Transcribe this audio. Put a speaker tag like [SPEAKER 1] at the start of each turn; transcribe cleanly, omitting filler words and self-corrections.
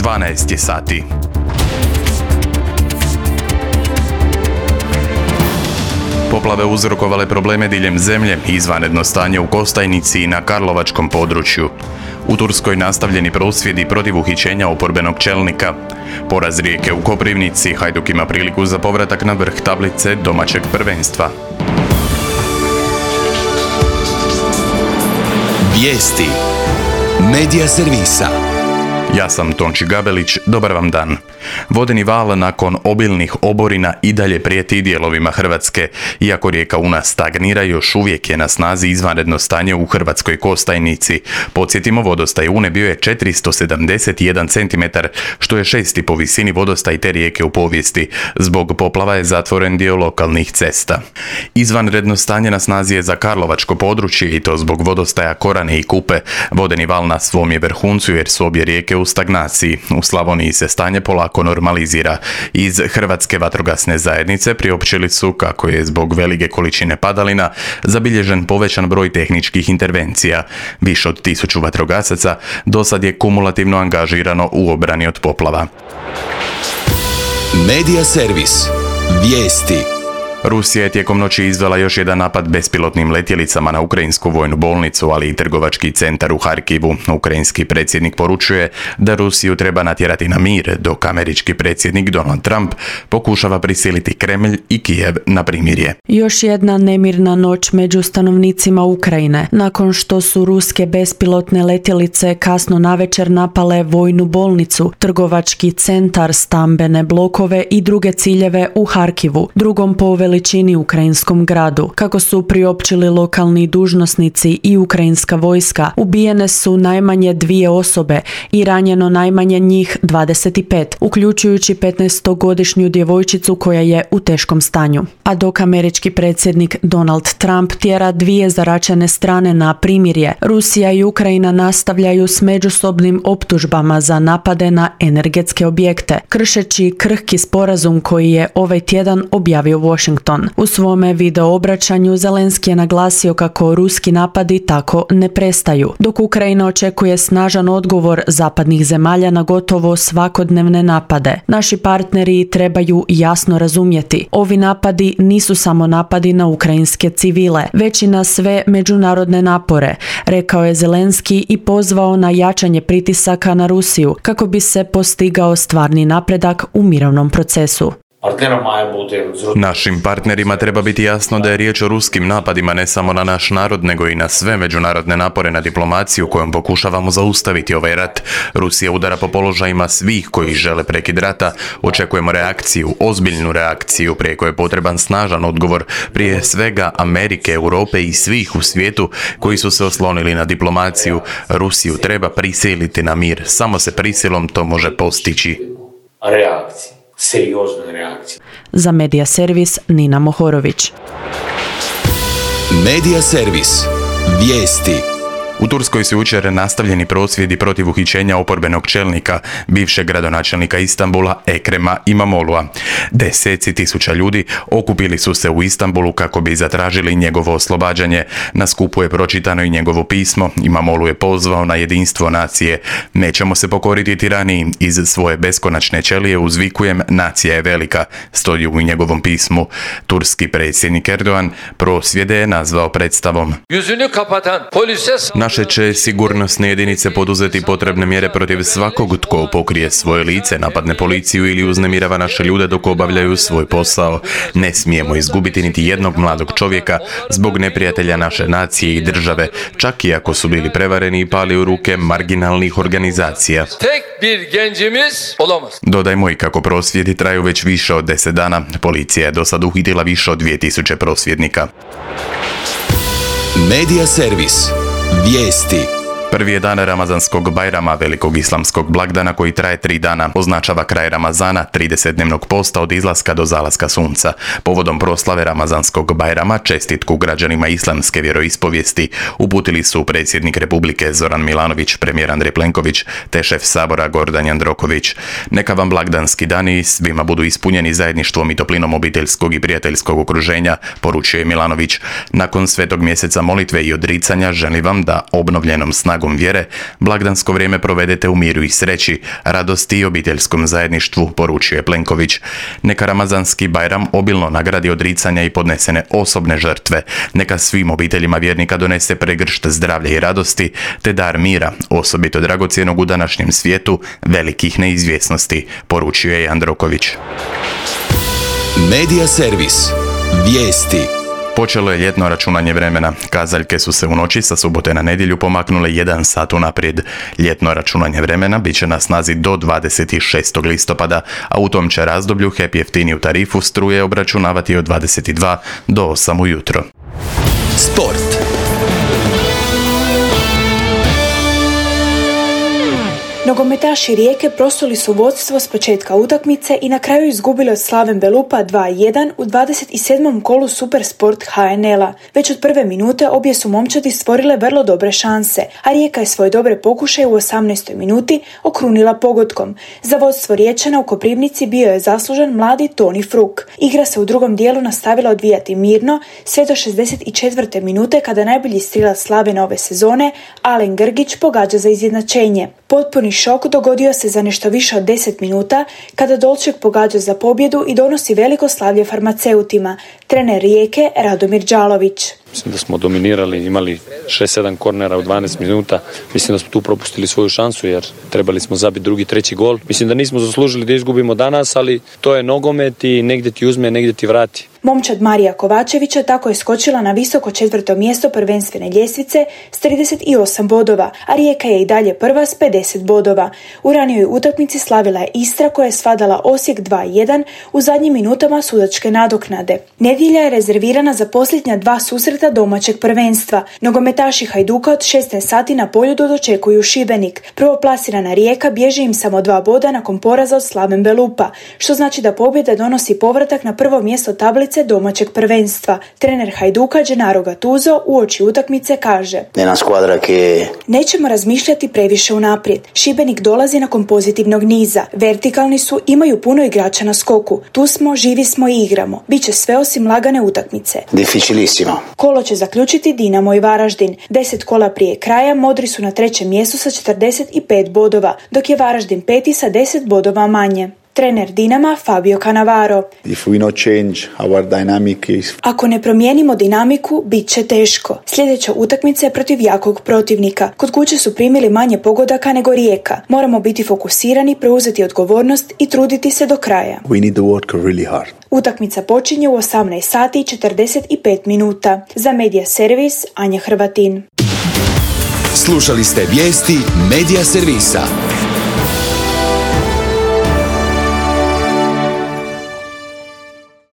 [SPEAKER 1] 12 sati. Poplave uzrokovale probleme diljem zemlje, izvanredno stanje u Kostajnici i na Karlovačkom području. U Turskoj nastavljeni prosvjedi protiv uhićenja oporbenog čelnika. Poraz Rijeke u Koprivnici, Hajduk ima priliku za povratak na vrh tablice domaćeg prvenstva.
[SPEAKER 2] Vijesti Medija servisa.
[SPEAKER 1] Ja sam Tonči Gabelić, dobar vam dan. Vodeni val nakon obilnih oborina i dalje prijeti dijelovima Hrvatske. Iako rijeka Una stagnira, još uvijek je na snazi izvanredno stanje u Hrvatskoj Kostajnici. Podsjetimo, vodostaj Une bio je 471 cm, što je 6. po visini vodostaj te rijeke u povijesti. Zbog poplava je zatvoren dio lokalnih cesta. Izvanredno stanje na snazi je za Karlovačko područje i to zbog vodostaja Korane i Kupe. Vodeni val na svom je vrhuncu jer su obje rijeke u stagnaciji. U Slavoniji se stanje polako normalizira. Iz Hrvatske vatrogasne zajednice priopćili su kako je zbog velike količine padalina zabilježen povećan broj tehničkih intervencija. Više od 1000 vatrogasaca dosad je kumulativno angažirano u obrani od poplava.
[SPEAKER 2] Medija servis. Vijesti.
[SPEAKER 1] Rusija je tijekom noći izvela još jedan napad bespilotnim letjelicama na ukrajinsku vojnu bolnicu, ali i trgovački centar u Harkivu. Ukrajinski predsjednik poručuje da Rusiju treba natjerati na mir, dok američki predsjednik Donald Trump pokušava prisiliti Kremlj i Kijev na primirje.
[SPEAKER 3] Još jedna nemirna noć među stanovnicima Ukrajine, nakon što su ruske bespilotne letjelice kasno navečer napale vojnu bolnicu, trgovački centar, stambene blokove i druge ciljeve u Harkivu, drugom po veličini ukrajinskom gradu. Kako su priopćili lokalni dužnosnici i ukrajinska vojska, ubijene su najmanje 2 osobe i ranjeno najmanje njih 25, uključujući 15-godišnju djevojčicu koja je u teškom stanju. A dok američki predsjednik Donald Trump tjera 2 zaračene strane na primirje, Rusija i Ukrajina nastavljaju s međusobnim optužbama za napade na energetske objekte, kršeći krhki sporazum koji je ovaj tjedan objavio Washington. U svome video obraćanju Zelenski je naglasio kako ruski napadi tako ne prestaju, dok Ukrajina očekuje snažan odgovor zapadnih zemalja na gotovo svakodnevne napade. Naši partneri trebaju jasno razumjeti, ovi napadi nisu samo napadi na ukrajinske civile, već i na sve međunarodne napore, rekao je Zelenski i pozvao na jačanje pritisaka na Rusiju kako bi se postigao stvarni napredak u mirovnom procesu.
[SPEAKER 1] Našim partnerima treba biti jasno da je riječ o ruskim napadima ne samo na naš narod, nego i na sve međunarodne napore na diplomaciju kojom pokušavamo zaustaviti ovaj rat. Rusija udara po položajima svih koji žele prekid rata. Očekujemo reakciju, ozbiljnu reakciju, prijeko je potreban snažan odgovor, prije svega Amerike, Europe i svih u svijetu koji su se oslonili na diplomaciju. Rusiju treba prisiliti na mir. Samo se prisilom to može postići.
[SPEAKER 4] Seriozna reakcija.
[SPEAKER 3] Za Medija servis Nina Mohorović.
[SPEAKER 2] Medija servis. Vijesti.
[SPEAKER 1] U Turskoj su jučer nastavljeni prosvjedi protiv uhićenja oporbenog čelnika, bivšeg gradonačelnika Istanbula Ekrema Imamoglu'a. Deseci tisuća ljudi okupili su se u Istanbulu kako bi zatražili njegovo oslobađanje. Na skupu je pročitano i njegovo pismo. Imamoglu je pozvao na jedinstvo nacije. Nećemo se pokoriti tiraniji. Iz svoje beskonačne ćelije uzvikujem, nacija je velika, stoji u njegovom pismu. Turski predsjednik Erdogan prosvjede je nazvao predstavom. Naše će sigurnosne jedinice poduzeti potrebne mjere protiv svakog tko pokrije svoje lice, napadne policiju ili uznemirava naše ljude dok obavljaju svoj posao. Ne smijemo izgubiti niti jednog mladog čovjeka zbog neprijatelja naše nacije i države, čak i ako su bili prevareni i pali u ruke marginalnih organizacija. Dodajmo i kako prosvjedi traju već više od 10 dana. Policija je do sad uhitila više od 2000 prosvjednika.
[SPEAKER 2] Medija servis. Vijesti.
[SPEAKER 1] Prvi je dan Ramazanskog Bajrama, velikog islamskog blagdana koji traje 3 dana. Označava kraj Ramazana, 30-dnevnog posta od izlaska do zalaska sunca. Povodom proslave Ramazanskog Bajrama čestitku građanima islamske vjeroispovijesti uputili su predsjednik Republike Zoran Milanović, premijer Andrej Plenković te šef Sabora Gordan Jandroković. Neka vam blagdanski dani svima budu ispunjeni zajedništvom i toplinom obiteljskog i prijateljskog okruženja, poručuje Milanović. Nakon svetog mjeseca molitve i odricanja želim vam da obnovljenom snagom snagom vjere, blagdansko vrijeme provedete u miru i sreći, radosti i obiteljskom zajedništvu, poručio je Plenković. Neka Ramazanski Bajram obilno nagradi odricanja i podnesene osobne žrtve. Neka svim obiteljima vjernika donese pregršt zdravlja i radosti, te dar mira, osobito dragocjenog u današnjem svijetu velikih neizvjesnosti, poručio je Jandroković.
[SPEAKER 2] Medija servis. Vijesti.
[SPEAKER 1] Počelo je ljetno računanje vremena. Kazaljke su se u noći sa subote na nedjelju pomaknule 1 sat unaprijed. Ljetno računanje vremena bit će na snazi do 26. listopada, a u tom će razdoblju HEP jeftiniju tarifu struje obračunavati od 22 do 8 ujutro.
[SPEAKER 2] Sport.
[SPEAKER 4] Nogometaši Rijeke prosuli su vodstvo s početka utakmice i na kraju izgubili od Slaven Belupa 2-1 u 27. kolu Supersport HNL-a. Već od prve minute obje su momčadi stvorile vrlo dobre šanse, a Rijeka je svoje dobre pokušaje u 18. minuti okrunila pogodkom. Za vodstvo Riječana u Koprivnici bio je zaslužen mladi Toni Fruk. Igra se u drugom dijelu nastavila odvijati mirno sve do 64. minute kada najbolji strilac Slavena ove sezone, Alen Grgić, pogađa za izjednačenje. Potpuni šok dogodio se za nešto više od 10 minuta kada Dolček pogađa za pobjedu i donosi veliko slavlje farmaceutima. Trener Rijeke Radomir Đalović.
[SPEAKER 5] Mislim da smo dominirali, imali 6-7 kornera u 12 minuta. Mislim da smo tu propustili svoju šansu jer trebali smo zabiti drugi, treći gol. Mislim da nismo zaslužili da izgubimo danas, ali to je nogomet i negdje ti uzme, negdje ti vrati.
[SPEAKER 4] Momčad Marija Kovačevića tako je skočila na visoko 4. mjesto prvenstvene ljestvice s 38 bodova, a Rijeka je i dalje prva s 50 bodova. U ranijoj utakmici slavila je Istra koja je svladala Osijek 2-1 u zadnjim minutama sudačke nadoknade. Nedjelja je rezervirana za posljednja 2 susreta domaćeg prvenstva. Nogometaši Hajduka od 16 sati na Poljudu dočekuju Šibenik. Prvoplasirana Rijeka bježi im samo 2 boda nakon poraza od Slaven Belupa, što znači da pobjeda donosi povratak na prvo mjesto tablice domaćeg prvenstva. Trener Hajduka Gennaro Gattuso uoči utakmice kaže: nećemo razmišljati previše unaprijed. Šibenik dolazi nakon pozitivnog niza. Vertikalni su, imaju puno igrača na skoku. Tu smo, živi smo i igramo. Biće sve osim lagane utakmice.
[SPEAKER 6] Difficilissimo.
[SPEAKER 4] Kolo će zaključiti Dinamo i Varaždin. 10 kola prije kraja Modri su na 3. mjestu sa 45 bodova, dok je Varaždin 5. sa 10 bodova manje. Trener Dinama Fabio Cannavaro. Ako ne promijenimo dinamiku, bit će teško. Sljedeća utakmica je protiv jakog protivnika. Kod kuće su primili manje pogodaka nego Rijeka. Moramo biti fokusirani, preuzeti odgovornost i truditi se do kraja. Utakmica počinje u 18 sati i 45 minuta. Za Medija servis Anja Hrvatin.
[SPEAKER 2] Slušali ste vijesti Medija servisa.